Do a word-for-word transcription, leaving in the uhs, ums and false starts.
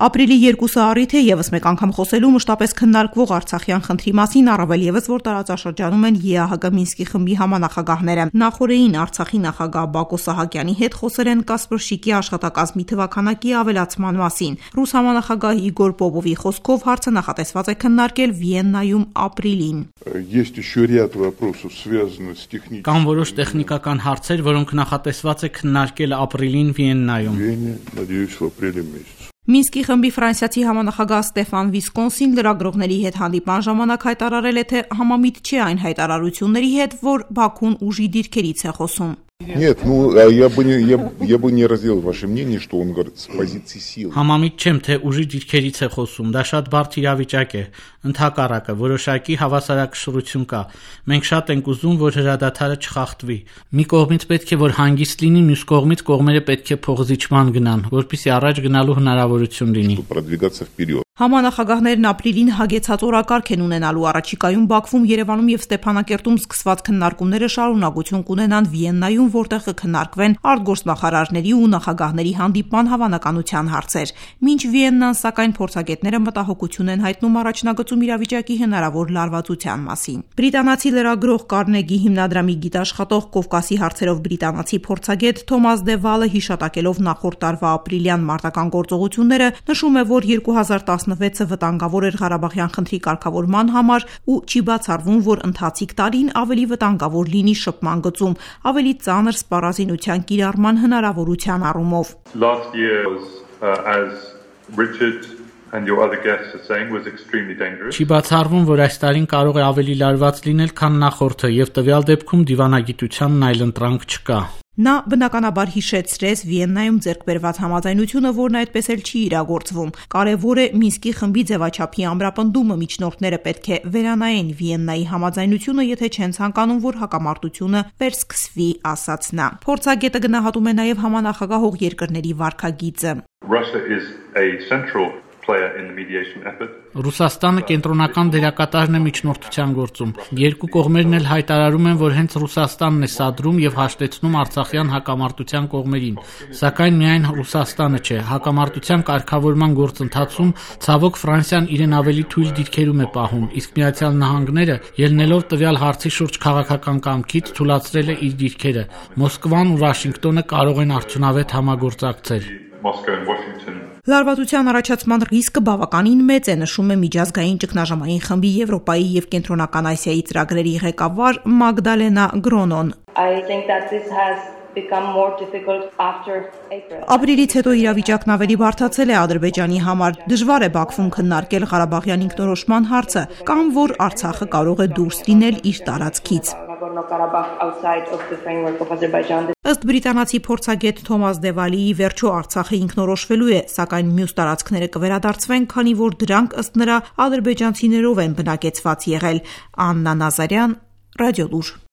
Ապրիլի երկուսը առիթ է եւս մեկ անգամ խոսելու մշտապես քննարկվող Արցախյան խնդրի մասին, առավել եւս որ տարածաշրջանում են ԵԱՀԿ Մինսկի խմբի համանախագահները։ Նախորդին Արցախի նախագահ Բակո Սահակյանի հետ խոսել են Կասպրշիկի աշխատակազմի թվաքանակի ավելացման մասին։ Ռուս համանախագահ Իգոր Պոպովի խոսքով հարցը նախատեսված է քննարկել Վիեննայում ապրիլին։ Կան որոշ տեխնիկական հարցեր, որոնք նախատեսված է քննարկել ապրիլին Վիեննայում։ Մինսկի խմբի ֆրանսիացի համանախագահ Ստեֆան Վիսկոնսին լրագրողների հետ հանդիպման ժամանակ հայտարարել է, թե համամիտ չէ այն հայտարարությունների հետ, որ Բաքուն ուժի դիրքերից է խոսում։ Нет, ну я бы не я, я бы не разделил ваше мнение, что он говорит с позиции силы. Համամիտ չեմ, թե ուժի դիրքերից է խոսում, դա շատ բարդ իրավիճակ է։ Ընդհակառակը որոշակի հավասարակշռություն կա։ Մենք շատ ենք ուզում, որ հրադադարը չխախտվի։ Մի կողմից պետք է որ հանգիստ լինի, մյուս կողմից կողմերը պետք է փոխզիջման գնան, որպեսզի առաջ գնալու հնարավորություն լինի։ Продвигаться вперед. Համանախագահներն ապրիլին հագեցած օրակարգ են ունենալու առաջիկայում Բաքվում, Երևանում եւ Ստեփանակերտում սկսված քննարկումները շարունակություն կունենան Վիեննայում, որտեղ կքննարկվեն արտգործնախարարների ու նախագահների հանդիպման հավանականության հարցեր։ Մինչ Վիեննան, սակայն, փորձագետները մտահոգություն են հայտնում առաջնագծում իրավիճակի հնարավոր լարվածության մասին։ Բրիտանացի լրագրող Կարնեգի հիմնադրամի գիտաշխատող Կովկասի հարցերով բրիտանացի փորձագետ Թոմաս Դե Վալը հիշատակելով նախորդ տարվա ապրիլյան մարտական գործողությունները նշում է, որ երկու հազար տասնվեցը վտանգավոր էր Ղարաբաղյան խնդրի կարգավորման համար ու չի բացառվում, որ ընթացիկ տարին ավելի վտանգավոր լինի շփման գծում, ավելի ծանր սպառազինության կիրառման հնարավորության առումով։ Last year was uh, as Richard and your other guests are saying was extremely dangerous. Չի բացառվում, որ այս տարին կարող է ավելի լարված լինել, քան նախորդը, եւ տվյալ դեպքում դիվանագիտությանն այլընտրանք չկա։ Նա բնականաբար հիշեցրեց Վիեննայում ձեռք բերված համաձայնությունը, որն այդպես էլ չի իրագործվում։ Կարևոր է Մինսկի խմբի ձևաչափի ամրապնդումը, միջնորդները պետք է վերանայեն Վիեննայի համաձայնությունը, եթե չեն ցանկանում, որ հակամարտությունը վերսկսվի, ասաց նա։ Փորձագետը գնահատում է նաև համանախագահող երկրների վարքագիծը։ Russia is a central player in the mediation effort. Ռուսաստանը կենտրոնական դերակատարն է միջնորդության գործում։ Երկու կողմերն էլ հայտարարում են, որ հենց Ռուսաստանն է սադրում եւ հաշտեցնում Արցախյան հակամարտության կողմերին։ Սակայն միայն Ռուսաստանը չէ, հակամարտության կարգավորման գործընթացում ցավոք Ֆրանսիան իրեն ավելի թույլ դիրքերում է պահում, իսկ Միացյալ Նահանգները, ելնելով տվյալ հարցի շուրջ քաղաքական կամքից, թույլատրել է իր դիրքերը։ Մոսկվան ու Վաշինգտոնը կարող են արդյունավետ համագործակցել։ Moscow and Washington. Լարվածության առաջացման ռիսկը բավականին մեծ է, նշում է միջազգային ճգնաժամային խմբի Եվրոպայի եւ Կենտրոնական Ասիայի ծրագրերի ղեկավար Մագդալենա Գրոնոն։ Ապրիլից հետո իրավիճակն ավելի բարդացել է Ադրբեջանի համար։ Դժվար է Բաքվում քննարկել Ղարաբաղյան ինքնորոշման հարցը, կամ որ Արցախը կարող է դուրս լինել իր տարածքից։ Ըստ բրիտանացի փորձագետ Թոմաս Դե Վալիի, վերջո Արցախը ինքնորոշվելու է, սակայն մյուս տարածքները կվերադարձվեն, քանի որ դրանք ըստ նրա ադրբեջանցիներով են բնակեցված եղել։ Աննա Նազարյան, Ռադիոլուր։